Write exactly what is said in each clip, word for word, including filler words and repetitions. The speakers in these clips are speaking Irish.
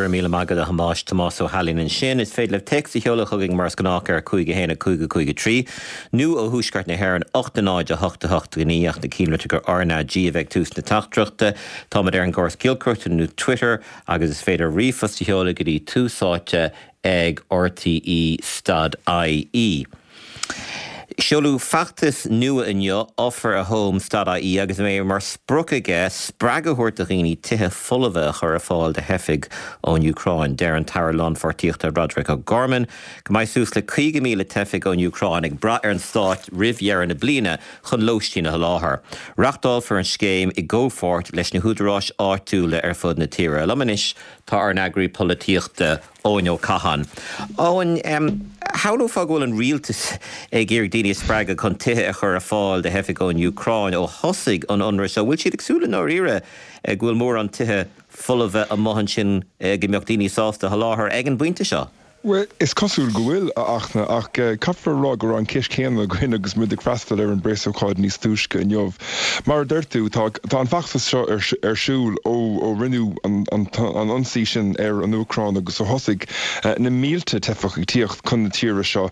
Go raibh míle maith agat a Thomáis Tomás Ó hAilín ansin, is féidir libh téacs a sheoladh chugainn mar is gnách ar cúig a haon a cúig a cúig a trí, nó ó thuaisceart na hÉireann ocht a náid a hocht a hocht a naoi ach ná cinnte gur RnaG a bheidh tús na teachtaireachta. Táimid ar an gcóras giolcaireachta nó Twitter agus is féidir ríomhphost a sheoladh go dtí Tús Áite ag RTE stad IE. Seoladh feachtas nua inniu Offer a Home stad IE agus é mar sprioc aige spreagadh a thabhairt do dhaoine tithe folmha a chur ar fáil do theifigh ón Úcráin. Deir an tAire Lánpháirtíochta Roderick O'Gorman go mbeidh suas le caoga míle teifeach ón Úcráin ag brath ar an stát roimh dheireadh na bliana chun lóistín a sholáthar. Reáchtálfar an scéim i gcomhpháirt leis na húdaráis áitiúla ar fud na tíre. Liom anois tá ár n-eagraí polaitíochta Eoin Ó Catháin. Eoin shamhlófá go bhfuil an rialtas ag iarraidh daoine a spreagadh chun tithe a chur ar fáil do theifigh ón Úcráin ó thosaigh an ionradh seo. Bhfuil siad ag súil i ndáiríre go bhfuil mórán tithe folmha amuigh ansin go mbeadh daoine sásta a sholáthar ag an bpointe seo. Well, is cosúil go bhfuil a Fhachtna ach caithfear rá go raibh an cheist chéanna againn agus muid ag freastal ar an bpreasócáid níos túisce inniu. Mar a deir tú tá an feachtas seo ar, ar siúl ó ó rinneadh an, an, an ionsaí sin ar an Úcráin agus ó thosaigh na mílte teifeach ag tíocht chun na tíre seo.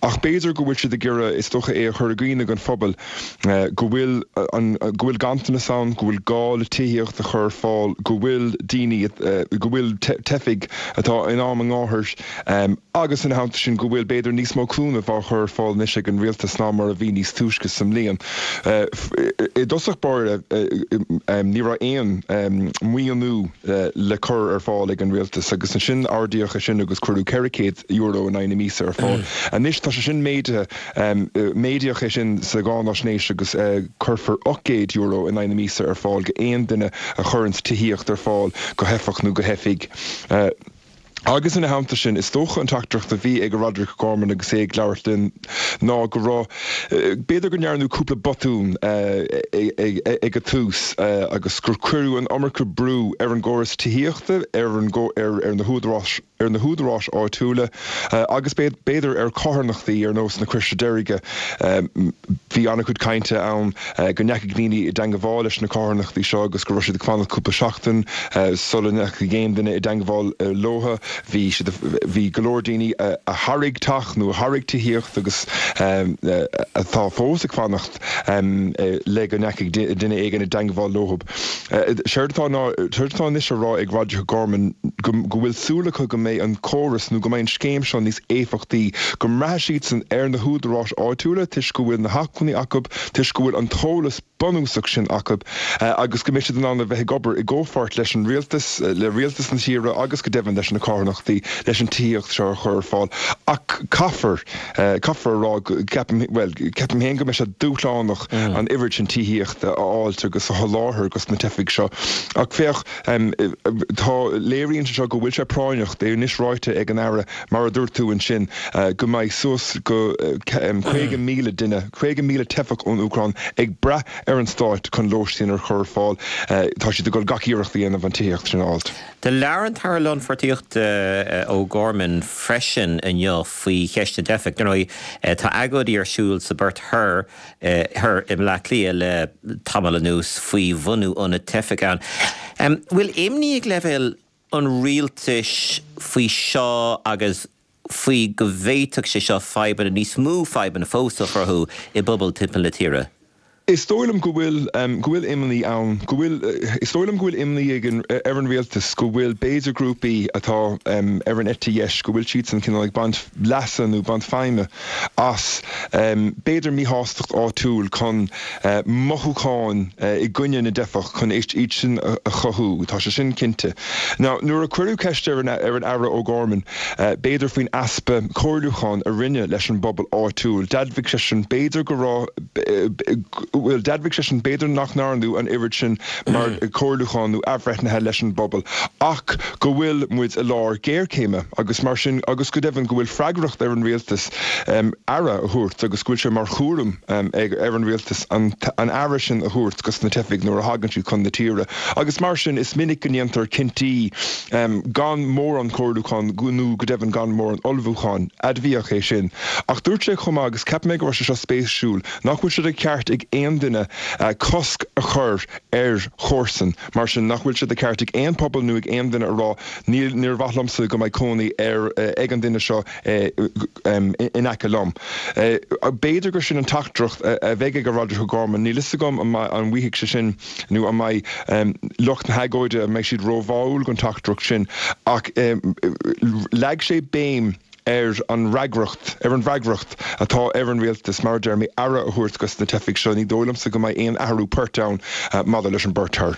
Ach b'fhéidir go bhfuil siad ag iarraidh is dócha é a chur i gcuimhne don phobal go bhfuil an go bhfuil ganntanas ann, go bhfuil gá le tithíocht a chur ar fáil, go bhfuil daoine go bhfuil teifigh atá in am a ngáthair Um, agus ina theannta sin go bhfuil b'fhéidir níos mó cúnamh á chur ar fáil anois ag an rialtas ná mar a bhí níos túisce sa mbliain. Uh, I dtosach báire uh, um, ní raibh aon um, maoiniú uh, le cur ar fáil ag an rialtas agus ansin ardaíodh é sin agus cuireadh ceithre chéad euro in aghaidh na míosa ar fáil. Anois tá sé sin méadaithe um, méadaíodh é sin sa gcáinaisnéis agus uh, cuirfear ocht gcéad euro in aghaidh na míosa ar fáil go aon duine a chuireann tithíocht ar fáil go theifeach nó go theifigh. Uh, Agus ina theannta sin is dócha an teachtaireacht a bhí ag Roderick O'Gorman agus é ag labhairt linn ná go raibh b'fhéidir go ndearnadh cúpla botún ag an tús agus gur cuireadh an iomarca brú ar an gcóras tithíochta ar an ar ar na húdaráis ar na húdaráis áitiúla agus b'fhéidir ar carthanachtaí ar nós na Croise Deirge bhí an-chuid cainte ann go ndeachaigh daoine i dteagmháil leis na carthanachtaí seo agus go raibh siad ag fanacht cúpla seachtain sula ndeachaigh aon duine i dteagmháil leo bhí siad bhí go leor daoine a thairg teach nó a thairg tithíocht agus atá fós ag fanacht le go ndeachaigh duine éigin i dteagmháil leo. Séard atá tá anois á rá ag Roderick O'Gorman go bhfuil súil acu go mbeidh an córas nó go mbeidh an scéim seo níos éifeachtaí, go mbraithfidh siadsan ar na húdaráis áitiúla toisc go bhfuil na hacmhainní acu, toisc go bhfuil an t-eolas bunúsach sin acu agus go mbeidh siad in ann a bheith ag obair i gcomhpháirt leis an rialtas, le rialtas na tíre agus go deimhin leis na carthanachtaí leis an tithíocht seo a chur ar fáil. Ach caithfear caithfear rá ceapaim well ceapaim féin go mbeidh sé dúshlánach an oiread sin tithíocht a fháilt agus a sholáthar dos na teifigh seo. Ach féach tá léiríonn sé seo go bhfuil sé práinneach é anois ráite ag an Aire mar a dúirt tú ansin go mbeidh suas go caoga míle duine, caoga míle teifeach ón Úcráin ag brath ar an stát chun lóistín a chur ar fáil. Tá siad ag dul gach iarracht a dhéanamh an tithíocht sin a fháilt. Do labhair an tAire Lánpháirtíochta O'Gorman freisin inniu faoi cheist na dteifeach. Ar ndóigh tá agóidí ar siúl sa bPort Thoir thoir i mBleá Cliath le tamall anuas faoi bhunú ionad teifeach ann. Bhfuil imní ag leibhéal an rialtais faoi seo agus faoi go bhféadfadh sé seo fadhbanna níos mó fadhbanna fós a chruthú i bpobail timpeall na tíre? Is dóigh liom go bhfuil go bhfuil imní ann go bhfuil is dóigh liom go bhfuil imní ag an ar an rialtas go bhfuil b'fhéidir grúpaí atá ar an eite dheis go bhfuil siad san cineál ag baint leasa nó baint feidhme as b'fhéidir míshástacht áitiúil chun mothúcháin i gcoinne na dteifeach chun iad sin a chothú tá sé sin cinnte. Now nuair a cuireadh ceist ar an ar an Aire O'Gorman b'fhéidir faoin easpa comhairliúcháin a rinneadh leis an bpobal áitiúil, d'admhaigh seisean b'fhéidir go raibh bhfuil d'admhaigh seisean b'fhéidir nach ndearnadh an oiread sin mar comhairliúchán nó athbhreithnithe leis an bpobal ach go bhfuil muid i lár géarchéime agus mar sin agus go deimhin go bhfuil freagracht ar an rialtas um, aire a thabhairt agus go bhfuil sé mar chúram um, ag ar an rialtas an, an aire sin a thabhairt dos na teifigh nuair a thagann siad chun na tíre. Agus mar sin is minic go ndéantar cinntí um, gan mórán comhairliúchán nó go deimhin gan mórán ullmhúchán admhaíodh é sin. Ach dúirt sé chomh maith agus ceapaim go raibh sé seo spéisiúil nach bhfuil sé de cheart ag aon duine cosc a chur ar chomharsan, mar sin nach bhfuil sé de cheart ag aon pobal nó ag aon duine a rá níl níor mhaith liomsa go mbeidh cónaí ar ag an duine seo in aice liom. B'fhéidir gur sin an teachtaireacht a bheidh ag Roderic O'Gorman, níl fhios agam an bhfaighidh sé sin nó an mbeidh lucht na hagóide an mbeidh siad róbháúil don teachtaireacht sin ach leag sé béim ar an fhreagracht, ar an bhfreagracht atá ar an rialtas, mar a deir mé, aire a thabhairt dos na teifigh seo. Ní dóigh liomsa go mbeidh aon athrú poirt ann maidir leis an bport thoir.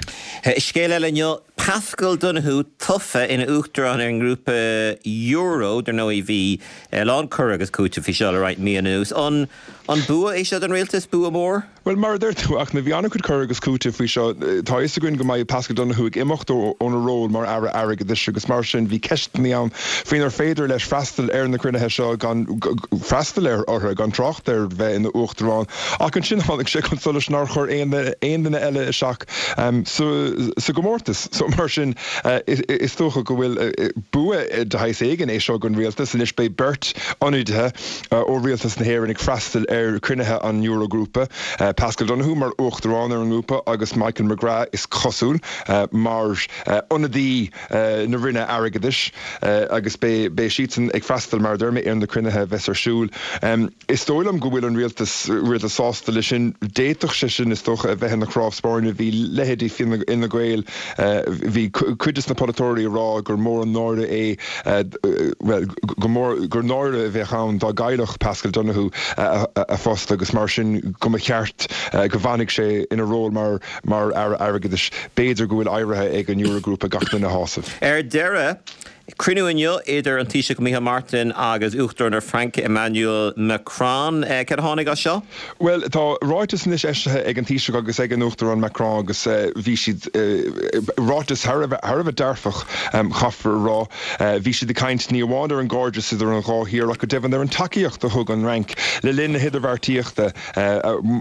Scéal eile inniu, Paschal Donohoe tofa ina uachtarán ar an ngrúpa Euro, dar ndóigh bhí a lán cur agus cúiteamh faoi seo le roinnt mí anuas. An an bua é seo don rialtas, bua mór? Bhuel, mar a deir tú, ach na bhí an-chuid cur agus cúiteamh faoi seo. Tá a fhios againn go mbeidh Paschal Donohoe ag imeacht óna ról mar Aire Airgeadais agus mar sin bhí ceisteanna ann faoinar féidir leis freastal ar na cruinnithe seo gan freastal ar orthu gan trácht ar bheith ina uachtarán. Ach ansin tháinig sé chun solais nár chuir aon duine eile isteach sa gcomórtas. So mar sin is dócha go bhfuil bua de shaghas éigin é seo don rialtas. Anois beidh beirt ionadaithe ó rialtas na hÉireann ag freastal ar chruinnithe an Eurogrúpa. Paschal Donohoe mar uachtarán ar an ngrúpa agus Michael McGrath is cosúil mar ionadaí na Roinne Airgeadais agus beidh siadsan ag freastal mar a deir mé ar na cruinnithe a bheas ar siúl. Is dóigh liom go bhfuil an rialtas rialtas sásta leis sin. D'fhéadfadh sé sin is dócha a bheith ina chnámh spairne. Bhí leithéidí Fine Gael, bhí cuid de na polaiteoirí ag rá gur mór an náire é, bhuel, go mór, gur náire a bheadh ann dá gcaillfeadh Paschal Donohoe a phost agus mar sin go mba cheart go bhfanfadh sé ina ról mar mar Aire Airgeadais. B'fhéidir go bhfuil éirithe ag an Eurogrúpa gach duine a shásamh. Ar deireadh, cruinniú inniu idir an Taoiseach Micheál Martin agus Uachtarán na Fraince Emmanuel Macron. Cad a tháinig as seo? Bhuel, tá ráiteas anois eisithe ag an Taoiseach agus ag an Uachtarán Macron agus bhí siad, ráiteas thar a bheith dearfach, caithfear a rá. Bhí siad ag caint ní amháin ar an gcairdeas idir an dhá thír ach go deimhin ar an tacaíocht a thug an Fhrainc le linn na hidirbheartaíochta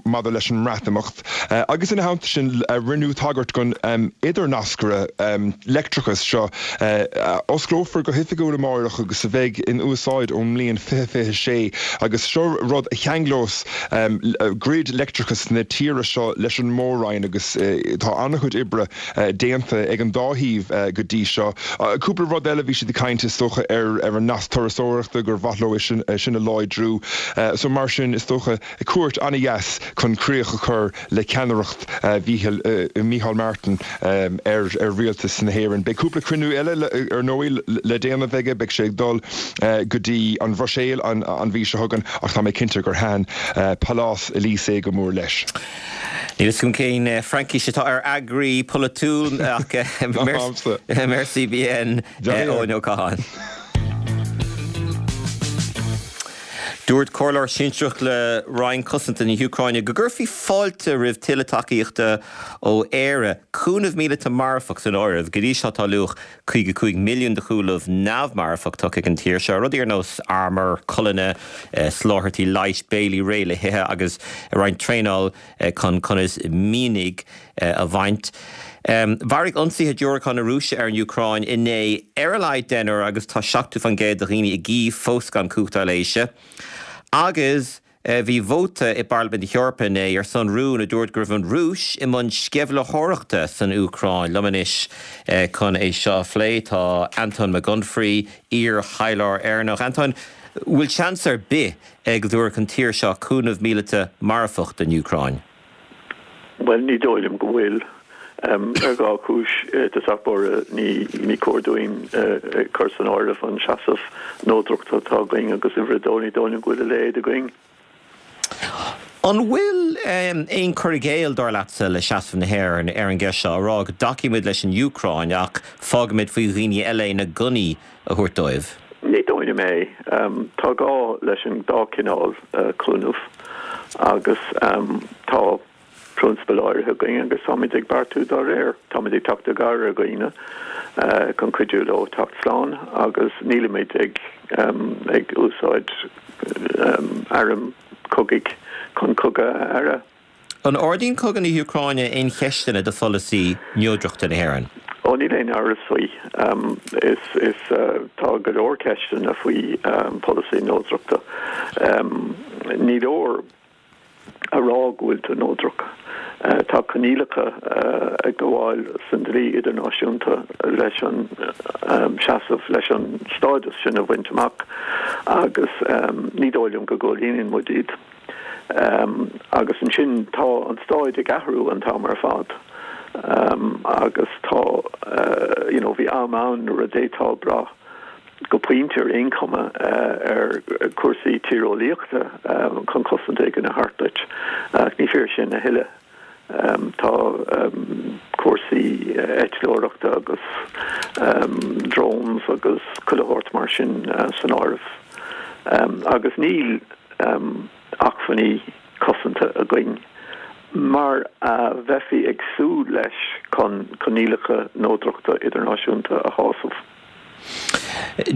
maidir leis an mBreatimeacht. Agus ina theannta sin rinneadh tagairt don idirnascaire leictreachais seo a osclófar go hoifigiúil amárach agus a bheidh in úsáid ón mbliain fiche fiche sé agus seo rud a cheanglós grid leictreachais na tíre seo leis an Mór-Roinn agus tá an-chuid oibre déanta ag an dá thaobh go dtí seo. Cúpla rud eile, bhí siad ag caint is dócha ar ar an nasc turasóireachta gur mhaith leo é sin a láidriú. So mar sin is dócha cuairt an-dheas chun críoch a chur le ceannaireacht Mhícheál Martin ar ar rialtas na hÉireann. Beidh cúpla cruinniú eile ar ndóigh le déanamh aige, beidh sé ag dul go dtí an Bhruiséil an an mhí seo chugainn ach tá mé cinnte gur thaitin Pálás Élysée go mór leis. Níl fhios agam cén Fraincis atá ar eagraí polaitiúil ach merci bien Eoin Ó Catháin. Dúirt comhairleoir sinsearach le Roinn Cosanta na hÚcráine go gcuirfí fáilte roimh tuilleadh tacaíochta ó Éire, cúnamh míleata marfach san áireamh. Go dtí seo tá luach caoga cúig milliún de chúnamh neamh-mharfach tugtha ag an tír seo, rudaí ar nós armúr, colainne, soláthairtí leighis, béilí réidh le hithe agus roinnt traenáil chun conas mianaigh a bhaint. Mharaigh ionsaithe diúracán na Rúise ar an Úcráin inné ar a laghad deichniúr agus tá seachtó faoin gcéad de dhaoine i gCív fós gan cumhacht ailléise. Agus bhí vóta i bParlaimint na hEorpa inné ar son rún a dúirt go raibh an Rúis i mbun sceimhlitheoireachta san Úcráin. Liom anois chun é seo a phlé tá Antóin Mac Unfraidh, iar-thaidhleoir Éireannach. Antóin, bhfuil seans ar bith go dtabharfadh an tír seo cúnamh míleata marfach don Úcráin? Bhuel, ní dóigh liom go bhfuil. Ar dhá chúis, i dtosach báire, ní cóir dúinn cur san áireamh an seasamh neodrachta atá againn agus uimhir a dó, ní dóigh liom go bhfuil a leithéid againn. An bhfuil aon cur i gcéill, dar leatsa, le seasamh na hÉireann ar an gceist seo, a rá go dtacaímid leis an Úcráin ach fágaimid faoi dhaoine eile na gunnaí a thabhairt dóibh? Ní dóigh liom é. Tá gá leis an dá chineál cúnaimh agus tá prionsabail áirithe againn agus táimid ag beartú dá réir. Táimid ag teacht i gcabhair ar dhaoine chun cuidiú leo teacht slán agus nílimid ag ag úsáid airm cogaidh chun cogadh a fhearadh. An ardaíonn cogadh na hÚcráine aon cheisteanna do pholasaí neodrachta na hÉireann? Ó, níl aon amhras faoi. Is, is, tá go leor ceisteanna faoi pholasaí neodrachta. Ní leor a rá go bhfuil tú neodrach. Tá coinníollacha ag gabháil san dlí idirnáisiúnta leis an seasamh leis an stádas sin a bhaint amach agus ní dóigh liom go gcomhlíonann muid iad. Agus ansin tá an staid ag athrú an t-am ar fad agus tá you know bhí am ann nuair a d'fhéadfá brath go pointe ar aon chuma ar chúrsaí tíreolaíochta chun cosaint éigin a thabhairt duit. Ach ní fíor sin a thuilleadh. Tá cúrsaí eitleoireachta agus drones agus chuile shórt mar sin san áireamh. Agus níl acmhainní cosanta againn mar a bheifí ag súil leis chun coinníollacha neodrachta idirnáisiúnta a shásamh.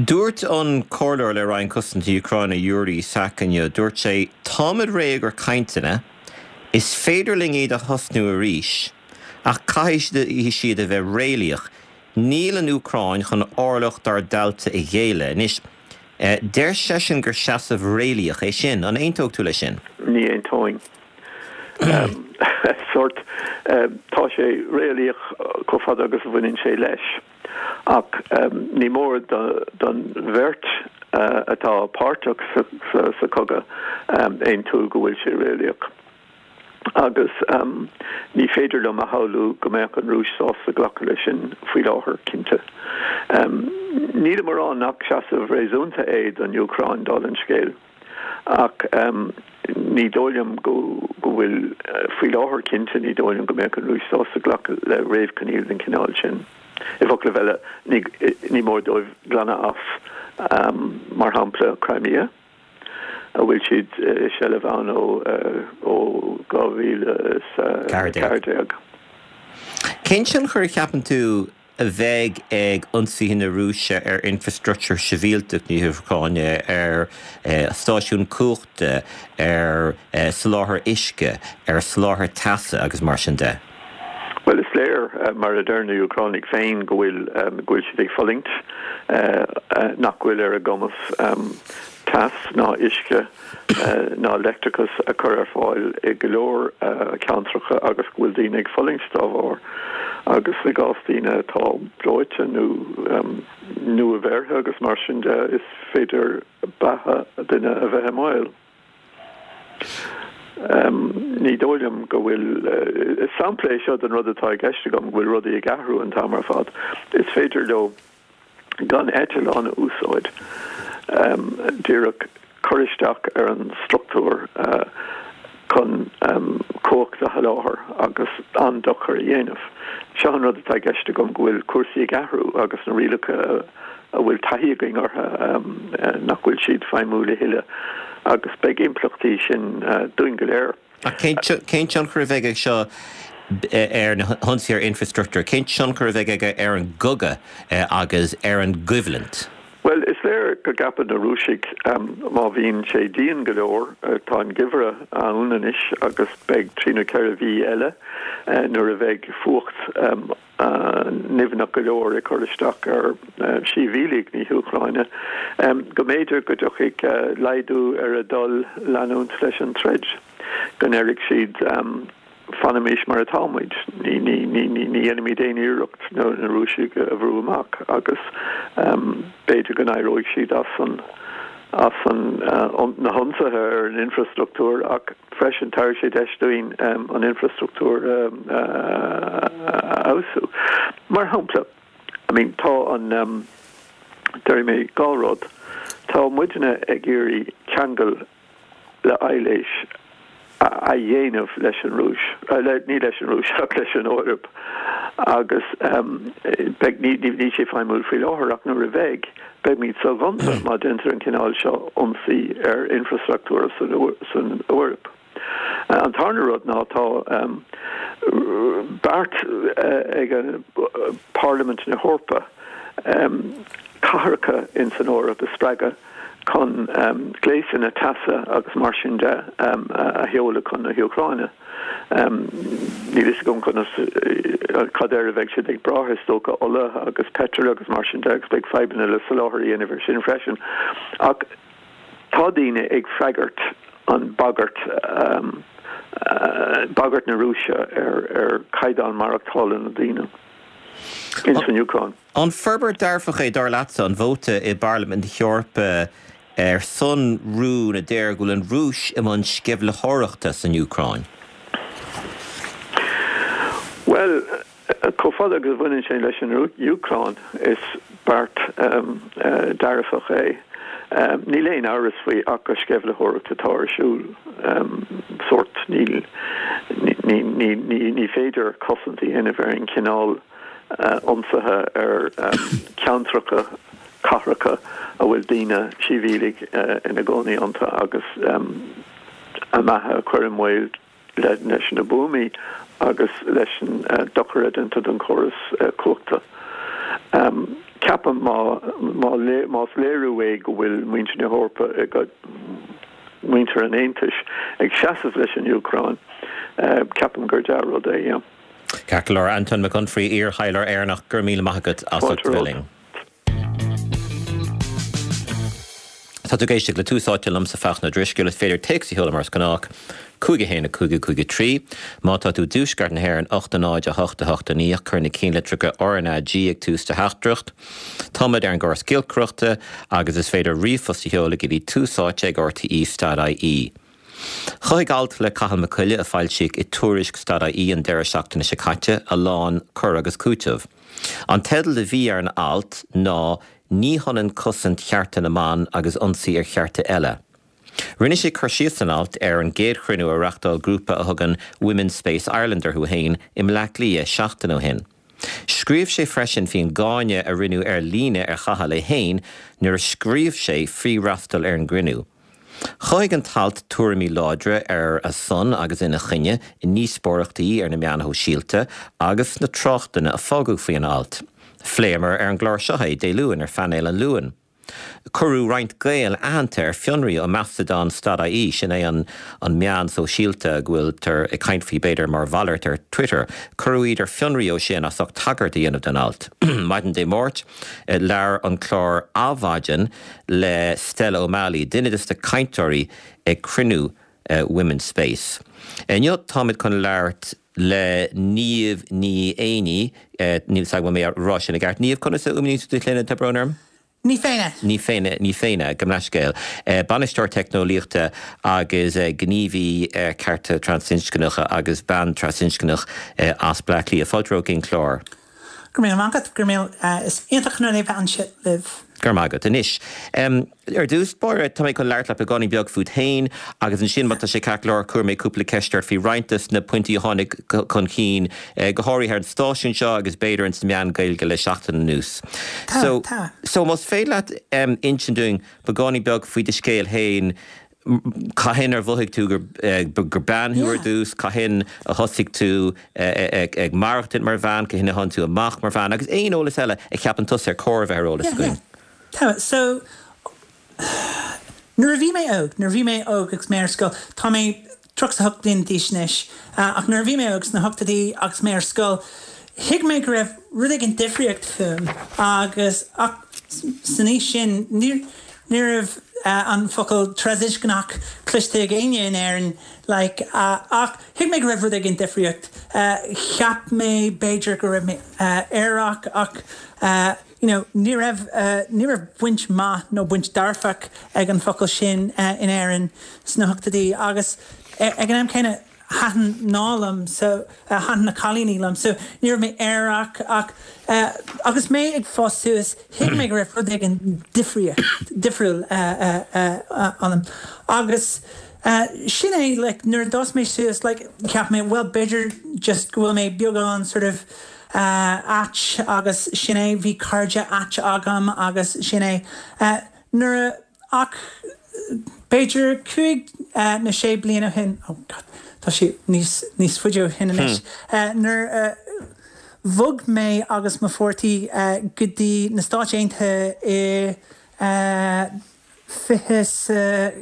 Dúirt an comhairleoir le Roinn Cosanta na hÚcráine Yuri Sak inniu, dúirt sé, Táimid réidh do chainteanna, is féidir linn iad a thosnú arís, ach caithfidh siad a bheith réalaíoch. Níl an Úcráin chun orlach dár dtailte a ghéilleadh. Anois, deir seisean gur seasamh réalaíoch é sin. An aontódh tú leis sin? Ní aontóinn. Sórt, tá sé réalaíoch chomh fada agus a bhaineann sé leis. Ach ní mór don bheirt atá páirteach sa chogadh aontú go bhfuil sé réalaíoch. Agus ní féidir liom a shamhlú go mbeadh an Rúis sásta glacadh leis sin faoi láthair, cinnte. Nílim ag rá nach seasamh réasúnta é don Úcráin, dála an scéil, ach ní dóigh liom go bhfuil, faoi láthair cinnte, ní dóigh liom go mbeadh an Rúis sásta glacadh le réamhchoinníoll den chineál sin. I bhfoclaibh eile, ní mór dóibh glanadh as, mar shampla, Crimea, a bhfuil siad i seilbh ann ó dhá mhíle is a ceathair déag. Cén tionchar a cheapann tú a bheidh ag ionsaithe na Rúise ar infreastruchtúr sibhialtach na hÚcráine, ar stáisiúin cumhachta, ar soláthar uisce, ar soláthar teasa agus mar sin de? Bhuel, is léir, mar a deir na hÚcránaigh féin, go bhfuil go bhfuil siad ag fulaingt, nach bhfuil ar a gcumas teas ná uisce ná leictreachas a chur ar fáil i go leor ceantracha agus go bhfuil daoine ag fulaingt dá bharr. Agus i gcás daoine atá breoite nó nua-bheirthe agus mar sin de, is féidir beatha duine a bheith i mbaol. Ní dóigh liom go bhfuil, is sampla é seo den rud atá i gceist agam, go bhfuil rudaí ag athrú an t-am ar fad. Is féidir leo gan eitleán a úsáid, díreach cur isteach ar an struchtúr chun cumhacht a sholáthar agus an-dochar a dhéanamh. Seo an rud atá i gceist agam, go bhfuil cúrsaí ag athrú agus na rialacha a bhfuil taithí againn orthu, nach bhfuil siad feidhmiúil a thuilleadh agus beidh impleachtaí sin dúinn go léir. Ach cén tionchar a bheidh ag seo ar na hionsaithe ar infreastruchtúr? Cén tionchar a bheidh aige ar an gcogadh agus ar an gcoimhlint? Bhuel, is léir go gceapann na Rúisigh, má bhíonn sé dian go leor, tá an geimhreadh ann anois agus beidh trí nó ceithre mhí eile nuair a bheidh fuacht nimhneach go leor ag cur isteach ar shibhialaigh na hÚcráine, go mb'fhéidir go dtiocfaidh laghdú ar a dtoil leanúint leis an troid, go ndéarfaidh siad fanaimis mar atá muid, ní dhéanfaimid aon iarracht na Rúisigh a bhrú amach agus b'fhéidir go n-éireoidh siad as an as an na hionsaithe ar an infreastruchtúr ach freisin tabharfaidh sé deis dúinn an infreastruchtúr a fheabhsú. Mar shampla, I mean tá an déarfaidh mé dhá rud, tá muidne ag iarraidh ceangal le aibhléis a dhéanamh leis an Rúis, ní leis an Rúis ach leis an Eoraip agus beidh, ní, níl sé feidhmiúil faoi láthair ach nuair a bheidh, beimid soghonta má déantar an cineál seo ionsaí ar infreastruchtúr san Eoraip. An tarna rud ná tá beart ag an Parlaimint na hEorpa cathracha in san Eoraip a spreagadh chun gléasanna teasa agus mar sin de a sheoladh chun na hÚcráine. Níl fhios agam conas, cad air a bheidh siad ag brath, is dócha ola agus peitreal agus mar sin de agus beidh fadhbanna le soláthar a dhéanamh ar sin freisin. Ach tá daoine ag freagairt an bagairt bagairt na Rúise ar ar chaighdeán maireachtála na ndaoine in san Úcráin. An forbairt dearfach é dar leatsa an vóta i bParlaimint na hEorpa ar son rún a deir go bhfuil an Rúis i mbun sceimhlitheoireachta san Úcráin? Well, chomh fada agus a bhaineann sé leis an Úcráin is beart dearfach é. Níl aon amhras faoi ach gur sceimhlitheoireacht atá ar siúl. Sórt níl ní féidir cosaint a dhéanamh ar an chineál ionsaithe ar ceantracha cathracha a bhfuil daoine sibhialaigh ina gcónaí iontu agus a mbeatha a chur i mbaol leis na buamaí agus leis an dochar a déantar don chóras cumhachta. Ceapaim má más léiriú é go bhfuil muintir na hEorpa muintir an Aontais ag seasamh leis an Úcráin, ceapaim gur dea-rud é, yeah. Ceart go leor, Anton Mac Unfraidh, iar-thaidhleoir Éireannach, go raibh míle maith agat as ucht a bheith linn. Tá tú ag éisteacht le Tús Áite liomsa Fachtna Drisceoil. Is féidir téacs a sheoladh mar is gnách, cúig a haon a cúig a cúig a trí. Má tá tú i dtuaisceart na hÉireann, ocht a náid a hocht a hocht a naoi, cuir na cinnlitreacha R N A G ag tús do theachtaireacht. Táimid ar an gcóras giolcaireachta agus is féidir ríomhphost a sheoladh go dtí túsáite ag R T E stad I E. Chothaigh alt le Cathal Mac Coille a foilsíodh i Tuairisc stad I E an deireadh seachtaine seo caite a lán cur agus cúiteamh. An teideal a bhí ar an alt ná Ní hionann cosaint chearta na mban agus ionsaí ar chearta eile. Rinne sé cur síos san alt ar an gcéad chruinniú a reáchtáil grúpa a thugann Women's Space Ireland orthu féin i mBleá Cliath seachtain ó shin. Scríobh sé freisin faoin gcáineadh a rinneadh ar líne ar Chathal é féin nuair a scríobh sé faoi fhreastal ar an gcruinniú. Chothaigh an t-alt tuairimí láidre ar a son agus ina choinne i ndíospóireachtaí ar na meáin shóisialta agus sna tráchtanna a fágadh faoin alt. Phléamar ar an gclár seo é Dé Luain ar Phainéal an Luain. Cuireadh roinnt Gael aitheanta ar fionraí ó Mastodon stad I E, sin é an an meán sóisialta go bhfuiltear ag caint faoi b'fhéidir mar mhalairt ar Twitter. Cuireadh iad ar fionraí ó sin as ucht tagairt a dhéanamh don alt. Maidin Dé Máirt, labhair an clár Adhmhaidin le Stella O'Malley, duine de na cainteoirí ag cruinniú Women's Space. Inniu táimid chun labhairt le Niamh Ní Éanaí, níl 's agam an mé a rá sin i gceart. Niamh, conas a fhuaimníonn tú do shloinne, tá brón orm? Ní Féinne. Ní Féinne, Ní Féinne, gabh mo leithscéal. Bainisteoir teicneolaíochta agus gníomhaí cearta trasinscneacha agus bean trasinscneach as Bleá Cliath. Fáilte romhat chuig an clár. Go raibh míle maith agat, go raibh míle, is iontach an rud é bheith anseo libh. Go raibh maith agat. Anois, ar dtús báire, tá mé chun labhairt leat beagáinín beag fút féin agus ansin má tá sé ceart go leor cuirfidh mé cúpla ceist ort faoi roinnt de na pointí a tháinig chun cinn, go háirithe ar an stáisiún seo agus b'fhéidir ins na meáin Gaeilge le seachtain anuas. Tá, So, tá. so más féidir leat insint dúinn beagáinín beag faoi do scéal féin, Cathain ar mhothaigh tú gur bean thú ar dtús? Cathain a thosaigh tú ag maireachtaint mar bhean? Cathain a tháinig tú amach mar bhean? Agus aon eolas eile a cheapann tusa ar chóir a bheith ar eolas againn. Tá, so, nuair a bhí mé óg, nuair a bhí mé óg agus mé ar scoil, tá mé tríocha is a hocht bliain d'aois anois, ach nuair a bhí mé óg sna hochtóidí agus mé ar scoil, thuig mé go raibh rud éigin difríocht fúm agus, ach san aois sin, ní, Ní raibh an focal trasinscneach cloiste ag éinne in Éirinn like ach thuig mé go raibh rud éigin difríocht. Cheap mé b'fhéidir go raibh mé aerach ach you know ní raibh ní raibh baint maith nó baint dearfach ag an focal sin in Éirinn sna hochtóidí agus ag an am céanna Thaitin mná liom so, thaitin na cailíní liom so ní raibh mé aerach ach agus mé ag fás suas thuig mé go raibh rud éigin difríocht, difriúil ionam agus sin é like nuair a d'fhás mé suas like cheap mé bhuel b'fhéidir just go bhfuil mé beagán sort of ait agus sin é, bhí cairde ait agam agus sin é. Nuair a Ach b'fhéidir cúig nó sé bliana ó shin, oh God, tá sé níos, níos faide ó shin anois, nuair a bhog mé agus mo pháirtí go dtí na Stáit Aontaithe i fiche 's a,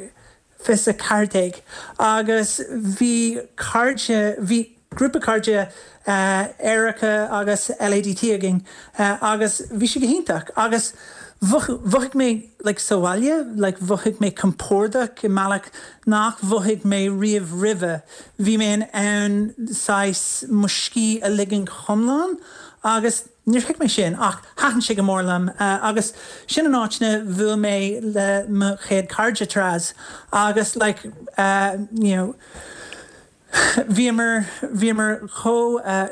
fiche 's a ceathair déag agus bhí cairde, bhí grúpa cairde aeracha agus L A D T againn agus bhí sé go hiontach agus Mhothaigh mé like sa bhaile, like mhothaigh mé compordach i mbealach nach mhothaigh mé riamh roimhe. Bhí mé in ann saghas mo scíth a ligean go hiomlán agus níor thuig mé sin ach thaitin sé go mór liom agus sin an áit ina bhuail mé le mo chéad cairde trans agus like uh, you know, bhíomar bhíomar chomh uh,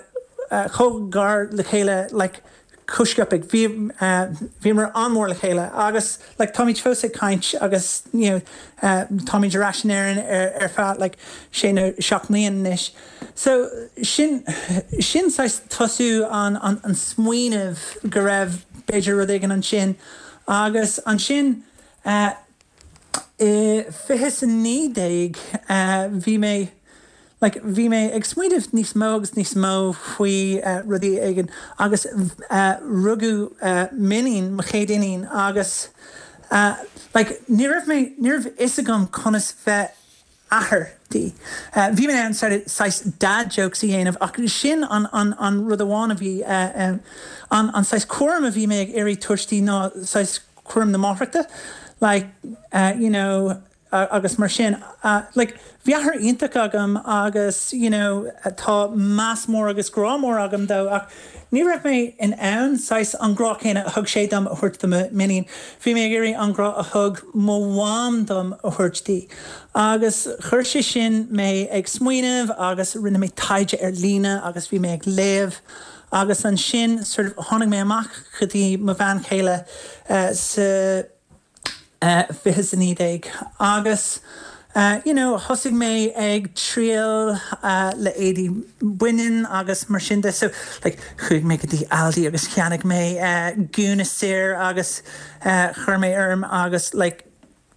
uh, chomh gar le chéile like chomh sciobtha bhí uh, bhíomar an-mhór le chéile agus like táimid fós ag caint agus you know, uh, táimid ar ais in Éirinn ar, ar feadh like sé nó seacht mbliana anois. So sin sin saghas tosú an, an, an smaoineamh go raibh b'fhéidir rud éigin ansin agus ansin uh, i fiche a naoi déag uh, bhí mé like bhí mé ag smaoineamh níos mó agus níos mó faoi uh, rudaí éigin agus uh, rugadh uh, m'iníon mo chéad iníon agus uh, like ní raibh mé ní raibh fhios agam conas bheith athair di. Uh, bhí mé an saghas dad jokes a dhéanamh ach sin an, an, an rud amháin a bhí uh, um, an, an saghas cúram a bhí mé ag iarraidh tabhairt di ná saghas cúram na máithreachta like uh, you know uh, agus mar sin uh, like bhí athair iontach agam agus you know tá meas mór agus grá mór agam dó ach ní raibh mé in ann saghas an grá céanna a thug sé dom a thabhairt do m'iníon. Bhí mé ag iarraidh an grá a thug mo mham dom a thabhairt di. Agus chuir sé sin mé ag smaoineamh agus rinne mé taighde ar líne agus bhí mé ag léamh agus ansin sort of tháinig mé amach go dtí mo bhean chéile uh, sa uh, fiche a naoi déag agus uh, you know, thosaigh mé ag triail uh, le éadaí baineann agus mar sin de so like, chuaigh mé go dtí Aldi agus cheannaigh mé uh, gúna saor agus uh, chuir mé orm agus like,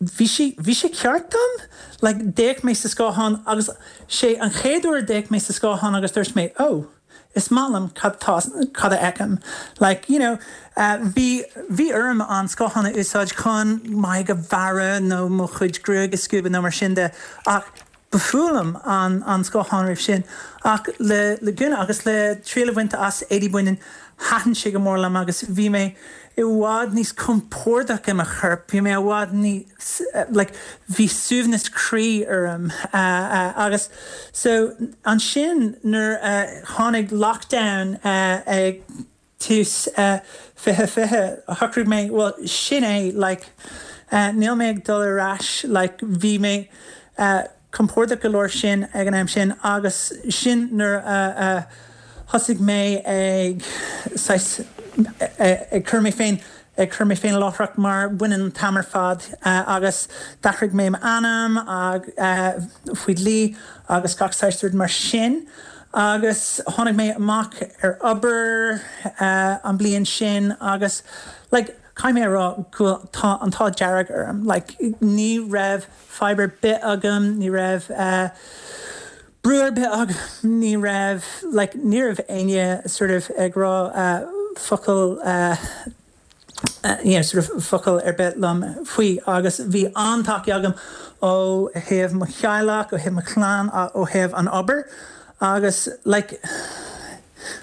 bhí sé bhí sé ceart dom like, d'fhéach mé sa scáthán agus sé an chéad uair d'fhéach mé sa scáthán agus dúirt mé oh is maith liom cad tá cad a fheicim like you know uh, bhí bhí orm an scáthán a úsáid chun m'aghaidh a bhearradh nó mo chuid gruaig a scuabadh nó mar sin de ach ba fuath liom an an scáthán roimh sin ach le le gúna agus le triail a bhaint as éadaí baineann thaitin sé go mór liom agus bhí mé i bhfad níos compordach i mo chorp, bhí mé i bhfad níos like bhí suaimhneas croí orm uh, uh, agus so ansin nuair uh, tháinig lockdown uh, ag tús uh, fiche fiche shocraigh mé well sin é like uh, níl mé ag dul ar ais like bhí mé uh, compordach go leor sin ag an am sin agus sin nuair uh, uh, thosaigh mé ag ag cur mé féin ag cur mé féin láithreach mar baineann an t-am ar fad uh, agus d'athraigh mé m'ainm ag uh, faoi dhlí agus gach saghas rud mar sin. Agus tháinig mé amach ar obair uh, an bliain sin agus like, caithfidh mé rá go tá an t-ádh dearg orm, like, ní raibh fadhb ar bith agam, ní raibh uh, brú ar bith agam, ní raibh like, ní raibh éinne sort of ag rá uh, focal uh, uh, you know, sort of focal ar bith liom faoi agus bhí an-tacaíocht agam ó thaobh mo theaghlach, ó thaobh mo chlann, ó thaobh an obair agus like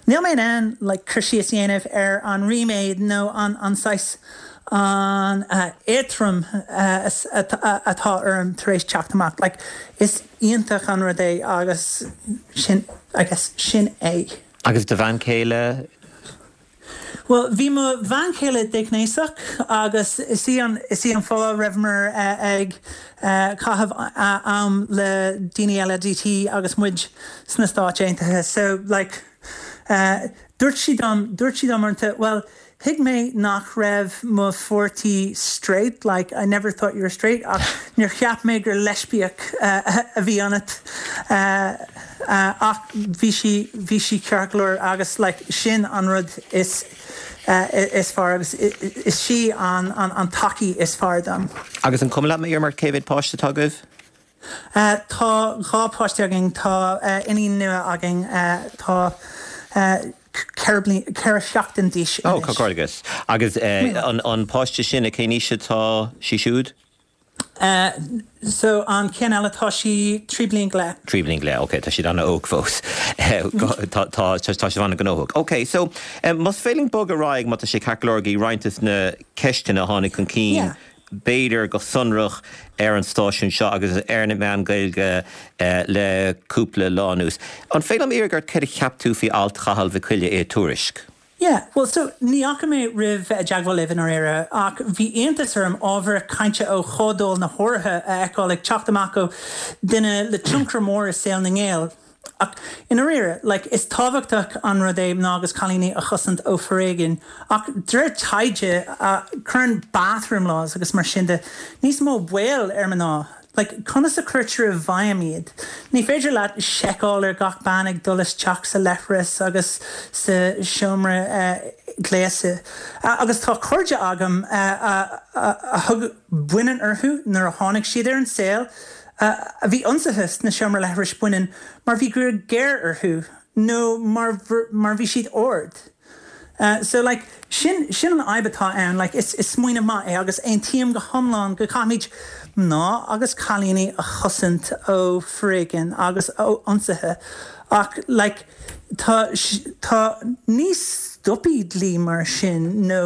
níl mé in ann like cur síos a dhéanamh ar an ríméad nó an an saghas an uh, éadrom uh, atá orm tar éis teacht amach like is iontach an rud é agus sin I guess sin é. Agus do bhean chéile Well, bhí mo bhean chéile déghnéasach agus is í an is í an fáth rabhamar uh, ag uh, caitheamh uh, am le daoine eile D T agus muid sna Stáit Aontaithe. So like uh, dúirt sí dom dúirt sí dom uaireanta, well, thuig mé nach raibh mo pháirtí straight, like I never thought you were straight ach níor cheap mé gur leispiach uh, a bhí ionat uh, uh, ach bhí sí bhí sí ceart go leor agus like sin an rud is uh, is fearr agus is sí an, an, an tacaí is fearr dom. Agus an cuma leat mé mar cé mhéad páiste atá agaibh? Uh, tá dhá páiste againn tá uh, iníon nua againn uh, tá uh, ceithre seachtain d'aois. Ó comhghairdeas agus an, an páiste sin a cén aois atá sí siúd? Uh, so an ceann eile tá sí trí bliana go leith. Trí bliana go leith, ok, tá siad an-óg fós. Tá tá sé an-ghnóthach. Ok, so um, más féidir linn bogadh ar aghaidh má tá sé ceart go leor go roinnt de na ceisteanna a tháinig chun cinn. Yeah. B'fhéidir go sonrach ar an stáisiún seo agus ar na meáin Gaeilge uh, le cúpla lá anuas. An féidir liom iarraidh ort céard a cheap tú faoi alt Chathail Mhic Coille i Tuairisc? Yeah, well so ní fhaca mé roimh bheith i dteagmháil libh i ndáiríre ach bhí iontas orm ábhar cainte ó Chomhdháil na hEorpa a fheiceáil ag teacht amach ó duine le tionchar mór i saol na nGael. Ach i ndáiríre, like, is tábhachtach an rud é mná agus cailíní a chosaint ó foréigean, ach de réir taighde uh, cuireann bathroom laws agus mar sin de níos mó baol ar mná. Like, conas a chuirtear i bhfeidhm iad. Ní féidir leat seiceáil ar gach bean ag dul isteach sa leithreas agus sa seomra uh, gléasadh. Uh, agus tá cairde agam uh, uh, uh, a thug baineann orthu nuair a tháinig siad ar an saol, uh, a bhí ionsaithe sna seomra leithris baineann mar bhí gruaig ghéar orthu nó mar, mar bhí siad ard. Uh, so like sin sin an fhadhb atá ann like is is smaoineamh maith é agus aontaím go hiomlán go gcaithfimid mná agus cailíní a chosaint ó foréigean agus ó ionsaithe ach like tá tá ní stopfaidh dlí mar sin nó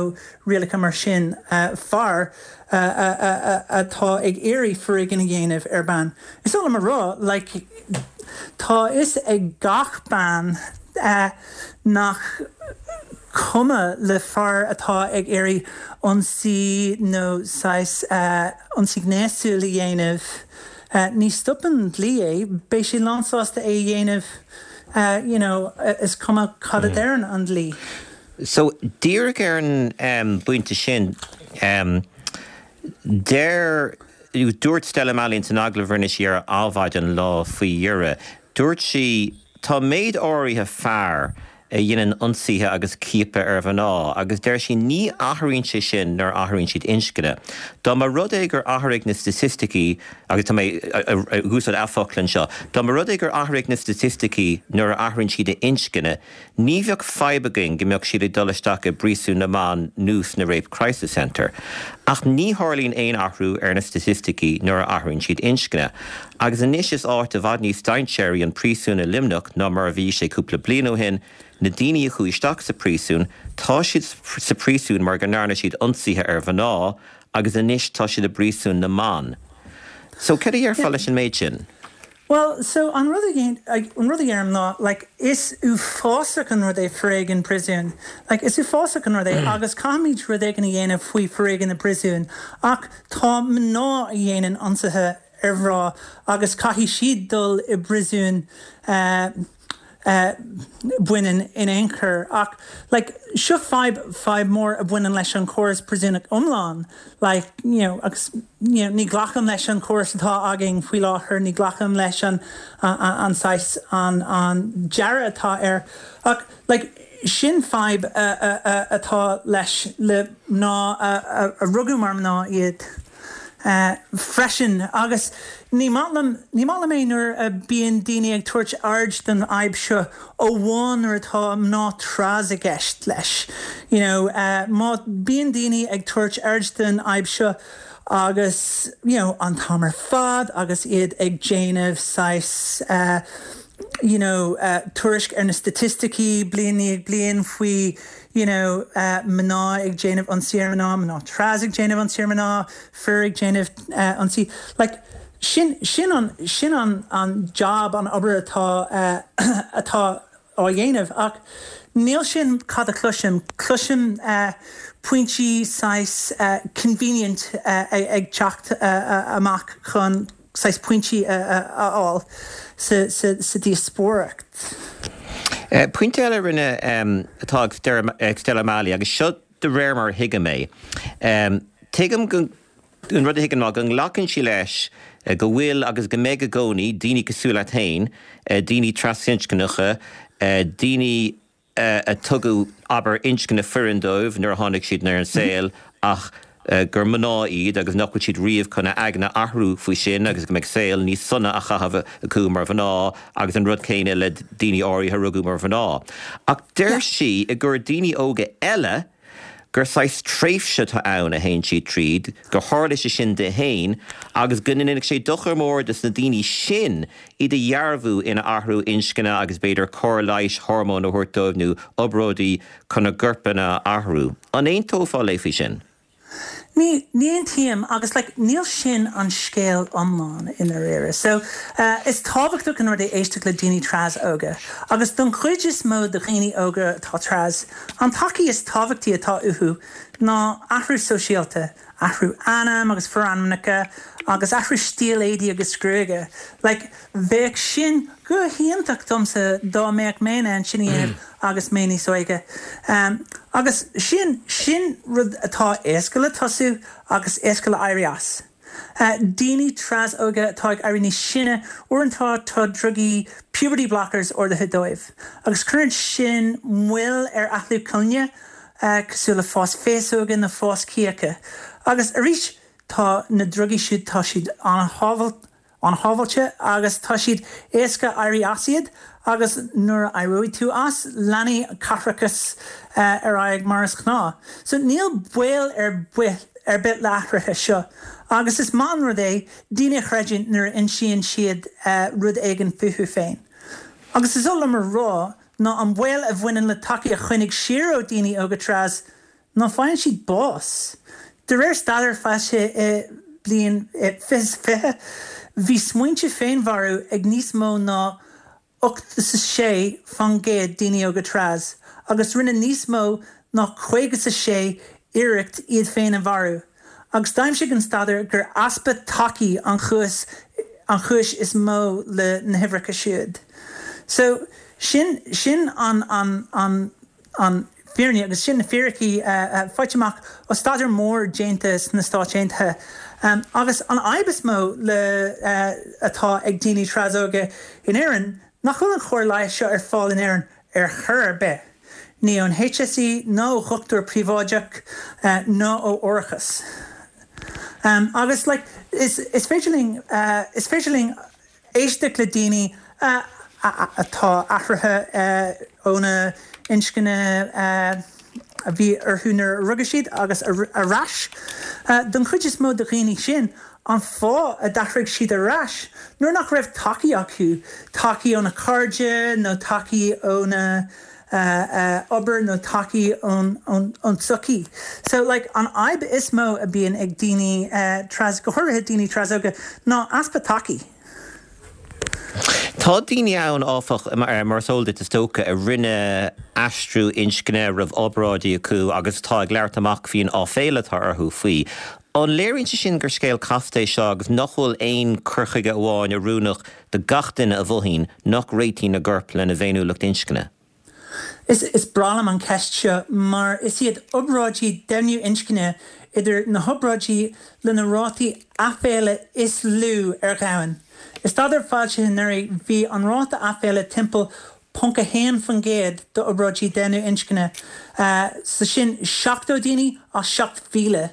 rialacha mar sin uh, fear uh, uh, uh, atá ag iarraidh foréigean a dhéanamh ar bean. Is dóigh liom a rá like tá fhios ag gach bean uh, nach cuma le fear atá ag iarraidh ionsaí nó saghas uh, ionsaí gnéasúil a dhéanamh. Uh, ní stopann dlí é, beidh sé lánsásta é dhéanamh uh, you know, is cuma cad a deireann an dlí. So díreach ar an um, bpointe sin um, deir dúirt Stella Malley san agallamh a rinne sí ar Adhmhaidin an lá faoi dheireadh. Dúirt sí tá méid áirithe fear a dhéanann ionsaithe agus ciapadh ar mhná, agus deir sí ní athraíonn sé sin nuair a athraíonn siad inscne. Dá mba rud é gur athraigh na staitisticí agus tá mé ag úsáid a focail anseo, Dá mba rud é gur athraigh na staitisticí nuair a athraíonn siad a inscne, ní bheadh fadhb againn go mbeadh siad ag dul isteach i bpríosún na mban nó sna Rape Crisis Center. Ach ní tharlaíonn aon athrú ar na staitisticí nuair a athraíonn siad inscne. Agus anois is áit i bhfad níos dainséaraí an príosún i Luimneach ná mar a bhí sé cúpla bliain ó shin, na daoine a chuaigh isteach sa príosún, tá siad sa príosún mar go ndearna siad ionsaithe ar mhná, agus anois tá siad i bpríosún na mban. So cad a déarfá leis an méid sin? Well, so an rud an rud a deirim ná like, is uafásach an rud é foréigean príosúin. Like, is uafásach an rud é agus caithfimid rud éigin a dhéanamh faoi foréigean na príosúin ach tá mná a dhéanann ionsaithe ar mhná agus caithfidh siad dul i bpríosún uh, uh, baineann in aon chor ach like seo fadhb fadhb mór a bhaineann leis an chóras príosúnach iomlán like you know agus you know, ní ghlacaim leis an chóras atá againn faoi láthair ní ghlacaim leis an an, an saghas an an dearadh atá air ach like sin fadhb uh, uh, uh, atá leis le mná a, a, a rugadh mar mná iad Uh, freisin agus ní maith liom ní maith liom é nuair a bhíonn daoine ag tabhairt aird den fhadhb seo amháin nuair atá mná tras i gceist leis. You know, uh, má bíonn daoine ag tabhairt aird den fhadhb seo agus you know, an t-am ar fad agus iad ag déanamh saghas uh, you know, uh, tuairisc ar na staitisticí bliain ag bliain faoi you know, uh, mná ag déanamh ionsaí ar mná, mná tras ag déanamh ionsaí ar mná, fir ag déanamh uh, ionsaí. Like, sin, sin, an, sin an, an job an obair atá uh, atá á dhéanamh ach níl sin cad a chloisim cloisim uh, pointí saghas uh, convenient uh, ag, ag teacht uh, uh, amach chun saghas pointí a fháil sa, sa, sa díospóireacht. Uh, Pointe eile rinne um, atá ag Stella Malley agus seo de réir mar a thuigim é. Um, Tuigim go an rud a thuigim ná go nglacann sí leis uh, go bhfuil agus go mbeidh i gcónaí daoine cosúil leat féin, uh, daoine trasinscneacha, uh, daoine uh, a tugadh abair inscne fireann dóibh nuair a tháinig siad ar an saol ach uh, gur mná iad agus nach bhfuil siad riamh chun a aigne athrú faoi sin agus go mbeidh saol níos sona á chaitheamh acu mar mhná agus an rud céanna le daoine áirithe a rugadh mar mhná. Ach deir sí i gur daoine óga eile gur saghas tréimhse atá ann a théann siad tríd, gur tharla sé sin di féin agus go ndéanfadh sé dochar mór dos na daoine sin iad a dhearbhú ina athrú inscne agus b'fhéidir cóir leighis, hormóin a thabhairt dóibh nó obráidí chun a gcorpanna a athrú. An aontófá léi faoi sin? Ní ní aontaím agus like, níl sin an scéal iomlán i ndáiríre. So uh, is tábhachtach an rud é éisteacht le daoine tras óga. Agus don chuid is mó de dhaoine óga atá tras, an tacaíocht is tábhachtaí atá uathu ná athrú sóisialta, athrú ainm agus forainmneacha agus athrú stíl éadaí agus gruaige. Like, bheadh sin go hiontach domsa dá mbeadh mé in ann sin a dhéanamh agus mé níos óige. Um, agus sin sin rud atá éasca le tosú agus éasca le éirí as. Uh, daoine tras óga atá ag éirí níos sine uaireanta tá drugaí puberty blockers ordaithe dóibh. Agus cuireann sin moill ar athrú colainne uh, cosúil le fás féasóga nó fás cíocha. Agus arís tá na drugaí siúd tá siad an-shábháilte agus tá siad éasca éirí as iad agus nuair a éireoidh tú as leanfaidh caithreachas uh, ar aghaidh mar is gnáth. So níl baol ar bith ar bith le hathruithe seo. Agus is maith an rud é daoine a chreidiúint nuair a insíonn siad uh, rud éigin fúthu féin. Agus is oth liom a rá ná an baol a bhaineann le tacaíocht a choinneáil siar ó daoine óga tras ná faigheann siad bás. De réir staidéir foilsithe i bliain fiche fiche, bhí smaointe féinmharú ag níos mó ná ocht is a sé faoin gcéad daoine óga tras, agus rinne níos mó ná caoga is a sé iarracht iad féin a mharú. Agus d'aimsigh an staidéar gur easpa tacaí an chúis an chúis is mó le na huimhreacha siúd. So sin sin an an an an fírinne agus sin na fíricí uh, uh, faighte amach ó staidéar mór déanta sna Stáit Aontaithe. Um, agus an fhadhb is mó le uh, atá ag daoine trasóga in Éirinn nach bhfuil an chóir leighis seo ar fáil in Éirinn ar chor ar bith. Ní ón H S E nó dhochtúir príobháideach uh, nó ó árachas. Um, agus like, is, is féidir linn uh, is féidir linn éisteacht le daoine uh, atá athraithe uh, óna inscne uh, a bhí orthu nuair a rugadh siad agus ar ais. Uh, don chuid is mó de dhaoine sin an fáth a d'athraigh siad ar ais nuair nach raibh tacaí acu, tacaí óna cairde nó tacaí óna uh, uh, obair nó tacaí ón ón tsochaí. So like, an fhadhb is mó a bhíonn ag daoine uh, tras go háirithe daoine trasóga ná easpa tacaí. Tá daoine ann áfach mar is eol duit is dócha a rinne aistriú inscne roimh obráidí acu agus tá ag labhairt amach faoin áiféala atá orthu faoi. An léiríonn sé sin gur scéal casta é seo agus nach bhfuil aon chur chuige amháin oiriúnach do gach duine a mhothaíonn nach réitíonn a gcorp lena bhféiniúlacht inscne? Is, is breá liom an ceist seo mar is iad obráidí deimhniú inscne idir na hobráidí lena rátaí aiféala is lú ar domhan. I staidéar foilsithe anuraidh bhí an ráta aiféala timpeall ponc a haon faoin gcéad d'obráidí deimhniú inscne, uh, sa sin seachtó daoine as seacht mhíle.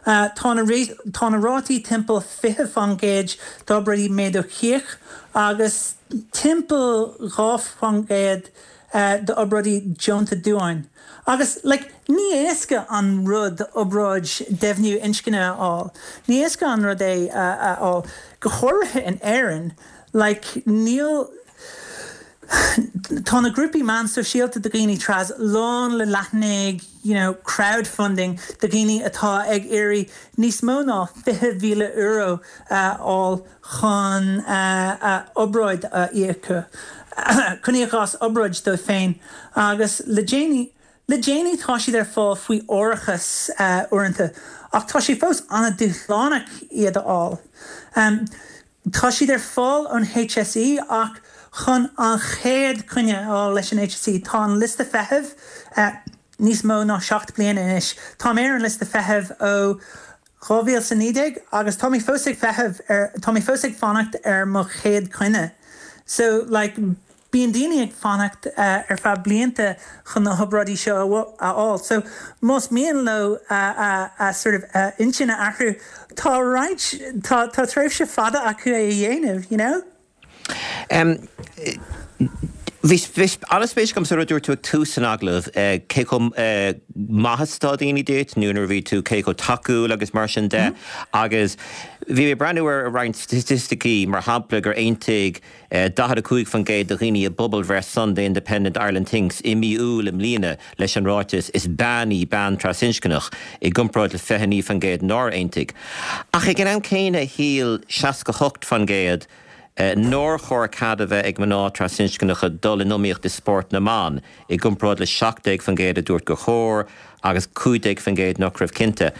Uh, tá na rátaí timpeall fiche faoin gcéad d'obráidí méadú cíoch agus timpeall dhá faoin gcéad uh, d'obráidí deonta duáin. Agus like, ní éasca an rud obráid deimhniú inscne a fháil. Ní éasca an rud é a fháil. Go háirithe in Éirinn, like, níl tá na grúpaí meán sóisialta do dhaoine tras lán le leathanaigh you know, crowdfunding do dhaoine atá ag iarraidh níos mó ná fiche míle euro uh, fháil chun uh, uh, obráid a íoc chun íoc as obráid dóibh féin agus le déanaí Le déanaí tá siad ar fáil faoi árachas uh, uaireanta, ach tá sé fós an-dúshlánach iad a fháil. Um, tá siad ar fáil ón H S E ach chun an chéad choinne a fháil leis an H S E tá an liosta feithimh uh, níos mó ná seacht bliana anois. Tá mé ar an liosta feithimh ó dhá mhíle is a naoi déag agus tá mé fós ag feitheamh ar tá mé fós ag fanacht ar mo chéad choinne. So like, bíonn daoine ag fanacht uh, ar feadh blianta chun na hobráidí seo a fháil. So más mian leo uh, uh, uh, sort of uh, inscne a athrú tá roinnt tá tá tréimhse fada acu é a dhéanamh, you know? Um, Bhí an-spéis agam sa rud a dúirt tú ag tús an agallaimh, cé chomh maith is atá daoine duit, nó nuair a bhí tú cé chomh tacúil agus mar sin de. Agus bhí mé ag breathnú ar roinnt staitisticí, mar shampla gur aontaigh daichead a cúig faoin gcéad de dhaoine i bpobalbhreith Sunday Independent Ireland Thinks i mí Iúil i mbliana leis an ráiteas 'is bean í bean trasinscneach' i gcomparáid le fiche a naoi faoin gcéad nár aontaigh. Ach ag an am céanna shíl seasca a hocht faoin gcéad nár chóir cead a bheith ag mná trasinscneacha dul in iomaíocht i spórt na mban, i gcomparáid le seacht déag faoin gcéad a dúirt gur chóir agus cúig déag faoin gcéad nach raibh cinnte.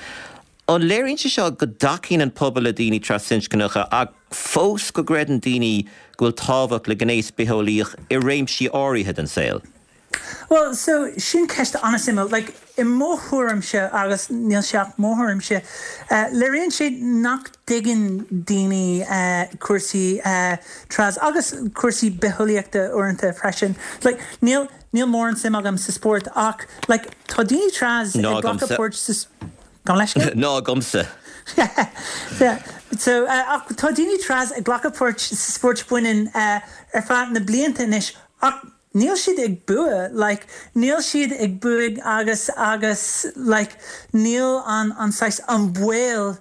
An léiríonn sé seo go dtacaíonn an pobal le daoine trasinscneacha ach fós go gcreideann daoine go bhfuil tábhacht le gnéas bitheolaíoch i réimsí áirithe den saol? Bhuel, so, sin ceist an-suimiúil. Like, i mo thuairimse, agus níl sé ach mo thuairimse, léiríonn sé nach dtuigeann daoine cúrsaí trans agus cúrsaí bitheolaíochta uaireanta freisin. Like, níl, níl mórán suim agam sa spórt ach, like, tá daoine trans ag glacadh páirt sa, Gabh mo leithscéal? Ná agamsa. Yeah. So, ach tá daoine trans ag glacadh páirt sa spórt baineann ar feadh na blianta anois ach, Níl siad ag bua, like, níl siad ag buaidh agus, agus, like, níl an, an saghas, an baol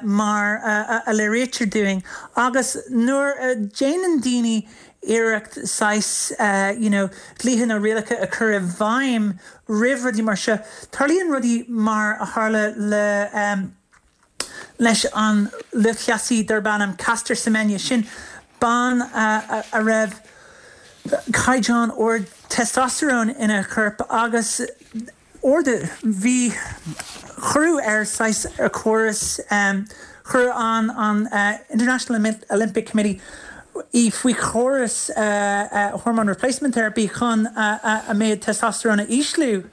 mar a léirítear dúinn. Agus nuair a déanann daoine iarracht saghas, you know, dlíthe nó rialacha a chur i bhfeidhm roimh rudaí mar seo, tarlaíonn rudaí mar a tharla le, leis an lúthchleasaí darb ainm Caster Semenya, sin bean a raibh caighdeán ard testosterone ina corp agus ard, bhí, cuireadh ar saghas ar córas, chuir an an International Olympic Committee í faoi chóras hormone replacement therapy chun a méid testosterone a ísliú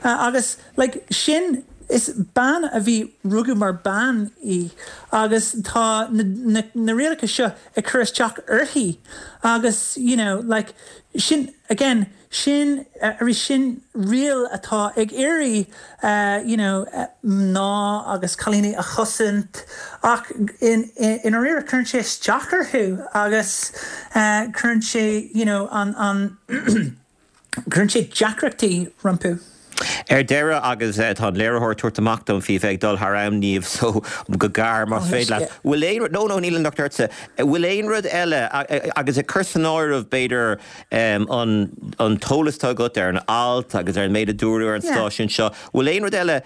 agus like sin Is bean a bhí rugadh mar bean í agus tá na na rialacha seo ag cur isteach uirthi agus you know like sin again sin arís sin riail atá ag iarraidh you know mná agus cailíní a chosaint ach in i ndáiríre cuireann sé isteach orthu agus cuireann sé you know an an Cuireann sé deacrachtaí rompu. Ar deireadh, agus tá an léiritheoir ag tabhairt amach dom faoi bheith ag dul thar am, Niamh, so go gearr más féidir leat. Bhfuil aon rud, no, no, níl an locht ortsa. Bhfuil aon rud eile, agus ag cur san áireamh, b'fhéidir, an an t-eolas atá agat ar an alt agus ar an méid a dúradh ar an stáisiún seo, bhfuil aon rud eile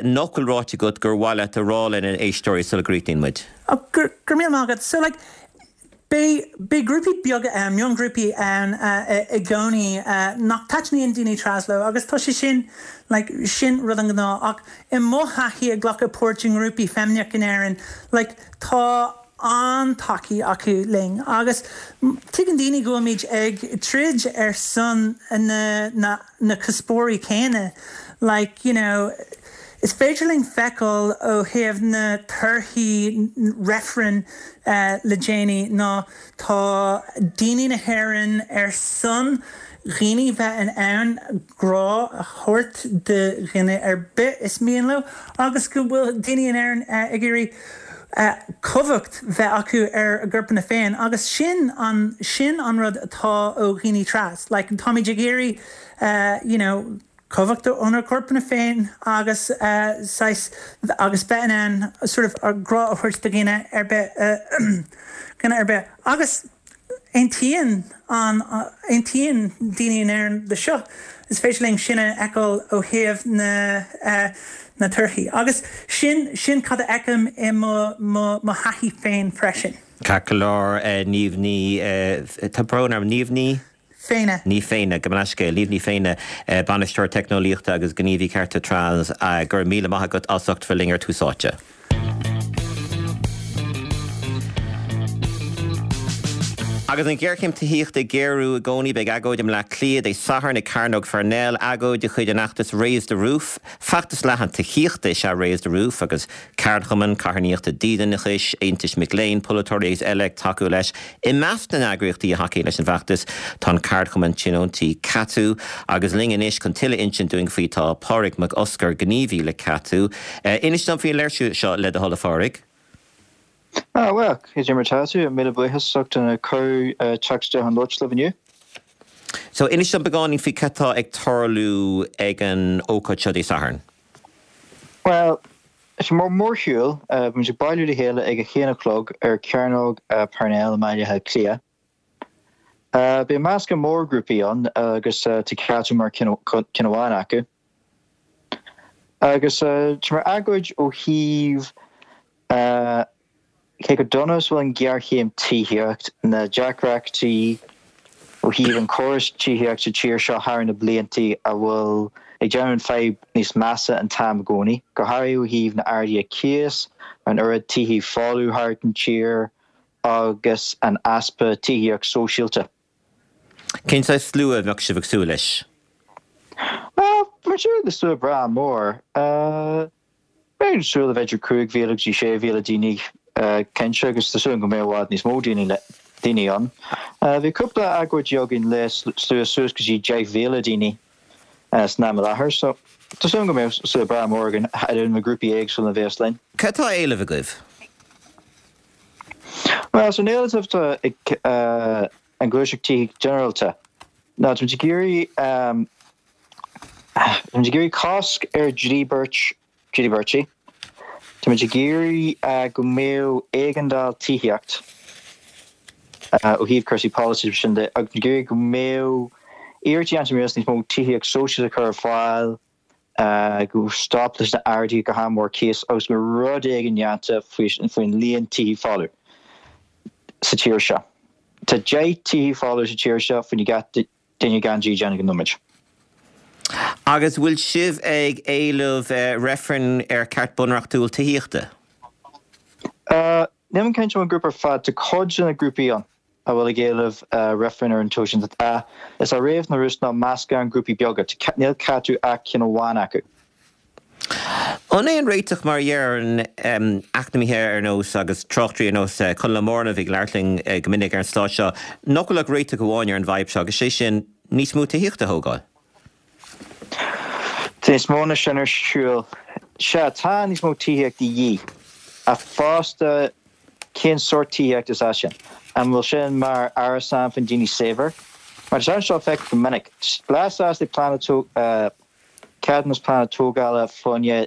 nach bhfuil ráite agat gur mhaith leat a rá lenár n-éisteoirí sula gcríochnaíonn muid? Go raibh míle maith agat. So like, Beidh, beidh grúpaí beaga ann, miongrúpaí ann i gcónaí nach dtaitníonn daoine tras leo agus tá sé sin, like, sin rud an ghnáth ach i mo thaithí ag glacadh páirt i ngrúpaí feimineach in Éirinn, like, tá an-tacaí acu linn agus tuigeann daoine go bhfuilimid ag troid ar son na, na, na cuspóirí céanna, like, you know, Is féidir linn feiceáil ó thaobh na torthaí reifrinn le déanaí ná tá daoine na hÉireann ar son dhaoine bheith in ann grá a thabhairt do dhuine ar bith is mian leo agus go bhfuil daoine in Éirinn ag iarraidh cumhacht bheith acu ar a gcorpanna féin agus sin an sin an rud atá ó dhaoine tras like táimid ag iarraidh you know cumhacht ónár gcorpanna féin agus saghas agus bheith in ann sort of ár grá a thabhairt do dhuine ar bith dhuine ar bith agus aontaíonn an aontaíonn daoine in Éirinn le seo. Is féidir linn sin a fheiceáil ó thaobh na na torthaí agus sin sin cad a fheicim i mo mo mo thaithí féin freisin. Ceart go leor, Niamh Ní, tá brón orm, Niamh Ní? Féinne. Ní Féinne, gabh mo leithscéal, Niamh Ní Féinne, Bainisteoir Teicneolaíochta agus Gníomhaí Cearta Trans, go raibh míle maith agat as ucht bheith linn ar Tús Áite. Agus an ghéarchéim tithíochta ag géarú i gcónaí, beidh agóid i mBleá Cliath Dé Sathairn ag Cearnóg Pharnell, agóid de chuid an fheachtais Raise the Roof. Feachtas leathan tithíochta is ea Raise the Roof agus ceardchumainn, carthanachtaí dídeanachais, aontais mic léinn, polaiteoirí agus eile ag tacú leis. I measc na n-eagraíochtaí a thacaíonn leis an bhfeachtas tá an ceardchumann tionóntaí CATU agus linn anois chun tuilleadh a insint dúinn faoi tá Pádraig Mac Oscair, gníomhaí le CATU. Inis dom faoin léirsiú seo le do thoil a Phádraig. Ah bhuel, cad é mar tá tú? Míle buíochas as ucht an cuireadh teacht isteach chun labhairt libh inniu. So inis dom beagáinín faoi cad tá ag tarlú ag an ócáid seo Dé Sathairn. Well, is mar mórshiúl, beimid ag bailiú le chéile ag a haon a chlog ar Chearnóg Parnell i mBaile Átha Cliath. Beidh meascán mór grúpaí ann agus tá Ceatú mar ceann amháin acu. Agus tá mar agóid ó thaobh cé chomh dona is bhfuil an ghéarchéim tithíocht, na deacrachtaí ó thaobh an córas tithíocht sa tír seo thar na blianta a bhfuil ag déanamh an fadhb níos measa an t-am i gcónaí, go háirithe ó thaobh na arduithe cíos, an oiread tithí folamh thart an tír agus an easpa tithíocht sóisialta. Cén saghas slua a bheadh sibh ag súil leis? Bhuel, tá súil le slua breá mór. Beidh ag súil le b'fhéidir cúig mhíle go dtí sé mhíle daoine cinnte agus tá súil go mbeidh i bhfad níos mó daoine daoine ann. Bhí cúpla agóidí againn le slua suas go dtí deich mhíle daoine san am i láthair so tá súil go mbeidh slua breá mór againn idir na grúpaí éagsúla a bheas linn. Cad tá á éileamh agaibh? Bhuel, so an éileamh atá ag an Ghluaiseacht Tithíochta Ginearálta ná táimid ag iarraidh táimid ag iarraidh cosc ar dhíbirt díbirtí. Táimid ag iarraidh go mbeadh éigeandáil tithíocht ó thaobh cúrsaí polasaí agus sin de agus táimid ag iarraidh go mbeadh iarrachtaí déanta níos mó tithíocht sóisialta a chur ar fáil, go stop leis na arduithe go han-mhór cíos agus go mbeadh rud éigin déanta faoin líon tithí folamh sa tír seo. Tá deich tithí folamh sa tír seo faoi gach duine gan dídean ag an nóiméad. Agus bhfuil sibh ag éileamh reifreann ar ceart bunreachtúil tithíochta? Nílim cinnte an grúpa ar fad, tá cuid de na grúpaí ann a bhfuil ag éileamh reifreann ar an toil sin. Is é Rave the Roof ná meascán grúpaí beaga, níl Ceatú ach ceann amháin acu. An é an réiteach mar a deireann eacnamaithe ar nós agus tráchtairí ar nós Conall Ó Mórna a bhí ag labhairt linn go minic ar an stáisiún seo, nach bhfuil ach réiteach amháin ar an bhfadhb seo agus sé sin níos mó tithíochta a thógáil? Tá níos mó ná sin ar siúl. Sea, tá níos mó tithíocht de dhíth. Ach fosta, cén sórt tithíocht is ea sin? An bhfuil sin mar árasán faoin daoine saibhir? Mar tá seo feicthe go minic. Lá sásta plean ceadúnas pleanála tógála fá choinne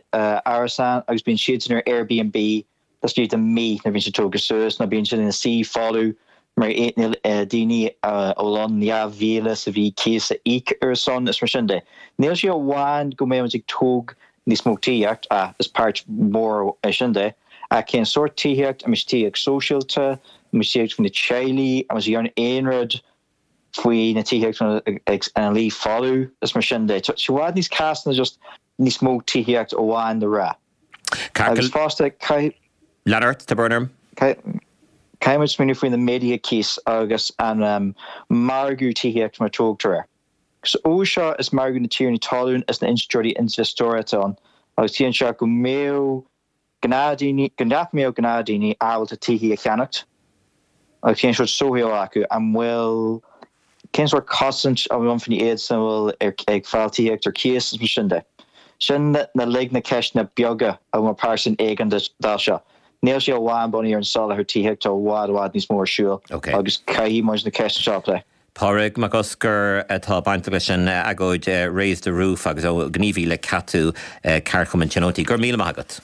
árasán agus bíonn siadsan ar Airbnb laistigh de mí nuair a bhíonn siad tógtha suas nó bíonn siad ina suí folamh mar níl daoine a bhfuil ann dhá mhíle sa mhí cíos a íoc ar a son is mar sin de. Níl sé amháin go mbeidh muid ag tóg níos mó tithíocht, ach is páirt mhór é sin de, ach cén sórt tithíocht, an mbeidh sé tithíocht sóisialta, an mbeidh tithíocht faoi na teaghlaigh, an mbeidh sé aon rud faoi na tithíocht ina luí folamh is mar sin de. Tá sé i bhfad níos casta ná just níos mó tithíocht amháin le rá. Agus fosta, caithfidh. Lean ort, tá brón orm. Caithfidh muid smaoineamh faoi na méaduithe cíos agus an margadh tithíochta mar a tógtar air. Agus ó seo is margadh na tiarnaí talún is na institiúidí infheisteora atá ann agus ciallaíonn seo go mbeadh gnáthdhaoine, go nach mbeadh gnáthdhaoine ábalta tithí a cheannacht agus cén sórt sochaí atá acu, an bhfuil, cén sórt cosaint a bhfuil ann faoi iadsan a bhfuil ag fáil tithíocht ar cíos is mar sin de. Sin uilig na ceisteanna beaga a bhfuil mar páirt den éigeandáil seo. Níl sé amháin bunaithe ar an soláthar tithíochta, tá i bhfad, i bhfad níos mó ar siúl agus caithfidh muid na ceisteanna seo a phlé. Pádraig Mac Oscair atá bainteach leis an agóid Raise the Roof agus ó gníomhaí le Ceatú, Ceardchumann Tionóntaí. Go raibh míle maith agat.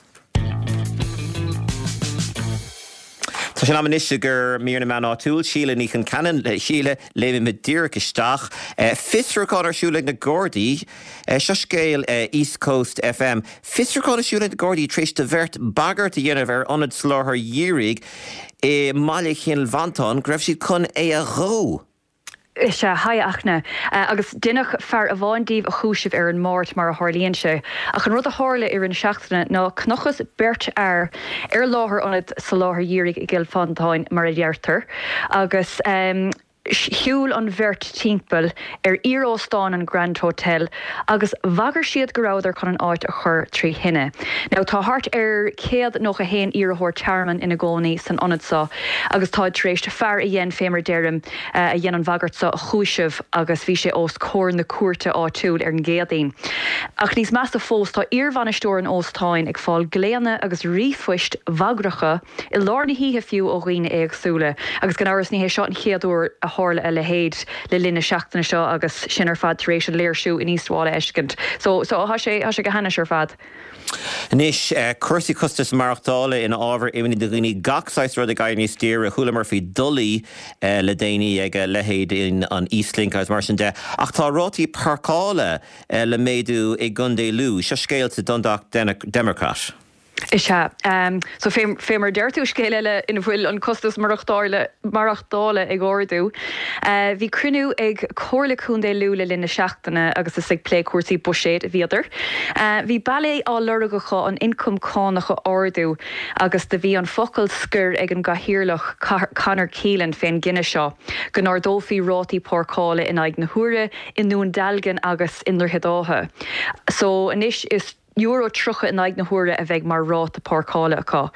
Tá sé in am anois i gcomhair mír na meán áitiúil. Síle Ní Chonceanainn. Síle, léimimid díreach isteach. Fiosrúchán ar siúl ag na Gardaí. Seo scéal East Coast FM. Fiosrúchán ar siúl ag na Gardaí tar éis do bheirt bagairt a dhéanamh ar ionad soláthair dhírigh i mbaile Chill Mhantáin go raibh siad chun é a dhó. Is ea, haigh a Fhachtna. Agus deineadh fear amháin díobh a chúiseamh ar an Máirt, mar a tharlaíonn sé. Ach an rud a tharla i rith na seachtaine ná chonacthas beirt fhear ar láthair ionad soláthair dhírigh i gCill Mhantáin, mar a deirtear, agus shiúil an bheirt timpeall ar iar-óstán an Grand Hotel agus bhagair siad go rabhadar chun an áit a chur trí thine. Now tá thart ar céad nócha a haon iarrthóir tearmainn ina gcónaí san ionad seo agus táid tar éis fear a dhein, fé mar a deirim, a dhein an bhagairt seo a chúiseamh agus bhí sé os comhair na cúirte áitiúil ar an gCéadaoin. Ach níos measa fós, tá iarbhainisteoir an óstáin ag fáil glaonna agus ríomhphoist bhagracha i lár na hoíche fiú ó dhaoine éagsúla. Agus gan amhras ní hé seo an chéad uair a tharla a leithéid le linn na seachtaine seo agus sin ar fad tar éis an léirsiú in East Wall a fheiscint. So so tá sé tá sé go hainnis ar fad. Anois cúrsaí costas maireachtála ina ábhar imní do dhaoine gach saghas rud ag éirí níos daoire chualamar faoi dolaí le déanaí ag leithéid in an Eastlink agus mar sin de. Ach tá rátaí páirceála le méadú i gContae Lú, seo scéal sa Dundalk Democrat. Is ea. So fé fé mar deir tú scéal eile ina bhfuil an costas maireachtála maireachtála ag ardú. Bhí cruinniú ag Comhairle Contae Lú le linn na seachtaine agus is ag plé cúrsaí buiséid a bhíodar. Bhí bealaí á lorg acu an ioncam cánach a ardú agus do bhí an focal scoir ag an gcathaoirleach Conor Keelan fén gcinneadh seo go n-ardófaí rátaí páirceála in aghaidh na huaire i nDún Dealgan agus i nDroichead Átha. So anois is euro tríocha in aghaidh na huaire a bheidh mar ráta páirceála acu.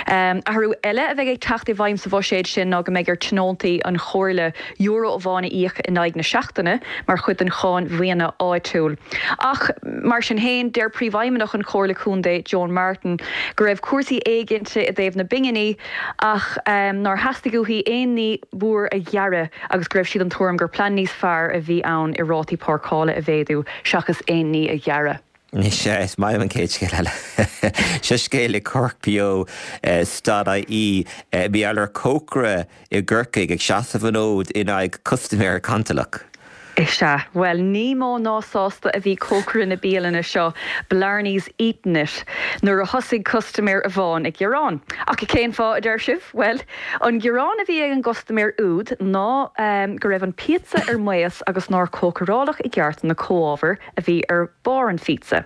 Athrú eile a bheidh ag teacht i bhfeidhm sa bhuiséad sin ná go mbeidh ar tionóntaí an chomhairle euro amháin a íoc in aghaidh na seachtaine mar chuid den cháin mhaoine áitiúil. Ach mar sin féin, deir Príomhfheidhmeannach an Chomhairle Contae, Joan Martin, go raibh cúrsaí éiginnte i dtaobh na bpinginí ach nár theastaigh uaithi aon ní mór a ghearradh agus go raibh sí den tuairim gur plean níos fearr a bhí ann i rátaí páirceála a mhéadú seachas aon ní a ghearradh. Anois, is maith liom an chéad scéal eile. Seo scéal i Cork Beo dot ie. Bhí ar cócaire i gCorcaigh ag seasamh an fhóid in aghaidh custaiméir cantalach. Is ea. Bhuel, ní mó ná sásta a bhí cócaire na bialainne seo, Blarney's Eatin' It, nuair a thosaigh custaiméir amháin ag gearán. Ach cén fáth, a deir sibh? Bhuel, an gearán a bhí ag an gcustaiméir úd ná go raibh an píotsa ar maos agus nár cócaráladh i gceart na comhábhair a bhí ar barr an phíotsa.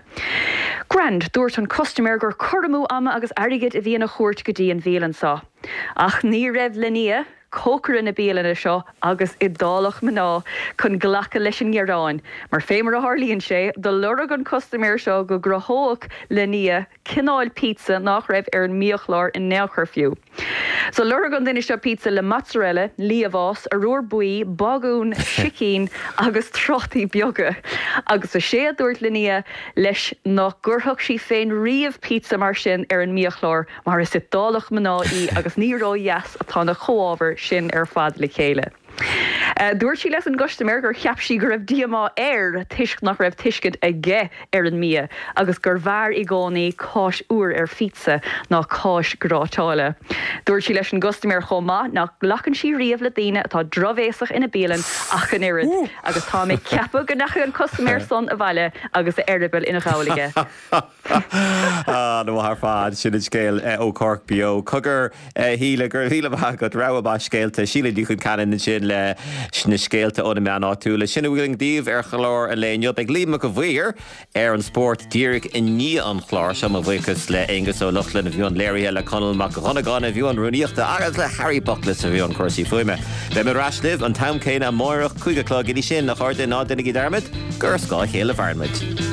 Grand, dúirt an custaiméir gur cur amú ama agus airgid a bhí ina chuairt go dtí an bhialann seo. Ach ní raibh Linnea, cócaire na bialainne seo agus Iodálach mná, chun glacadh leis an ngearán, mar fé mar a tharlaíonn sé, do lorg an custaiméir seo go gcruthódh Linnea cineál píotsa nach raibh ar an mbiachlár in aon chor fiú. So lorg an duine seo píotsa le mozzarella, liamhás, arúr buí, bagún, sicín agus trátaí beaga. Agus is é a dúirt Linnea leis nach gcuirfeadh sí féin riamh píotsa mar sin ar an mbiachlár mar is Iodálach mná í agus ní ródheas atá na comhábhair sin ar fad le chéile. Dúirt sí leis an gcustaiméir gur cheap sí go raibh díomá air toisc nach raibh tuiscint aige ar an mbia agus gurbh fhearr i gcónaí cáis úr ar phíotsa ná cáis gráiteála. Dúirt sí leis an gcustaiméir chomh maith nach nglacann sí riamh le daoine atá drochbhéasach ina bialann ach an oiread agus táim ag ceapadh go ndeachaigh an custaiméir san abhaile agus a eireaball ina ghabhal aige. An-mhaith ar fad, sin an scéal ó Cork Beo. Cogar, a Shíle, go raibh míle maith agat, rogha maith scéalta. Síle Ní Chonceanainn ansin leis na scéalta ó na meáin áitiúla. Sin a bhfuil againn daoibh ar chlár an lae inniu. Beidh Liam Mac a' Mhaoir ar an spórt díreach i ndiaidh an chláir seo. Mo bhuíochas le Aonghus Ó Lochlainn a bhí i mbun léirithe, le Conall Mac Dhonnagáin a bhí i mbun rúnaíochta agus le Harry Buckles a bhí i mbun cúrsaí fuaime. Beidh mé ar ais libh an t-am céanna amáireach, cúig a chlog. Go dtí sin, a chairde, ná déanaigí dearmad gur ar scáth a chéile a mhaireann muid.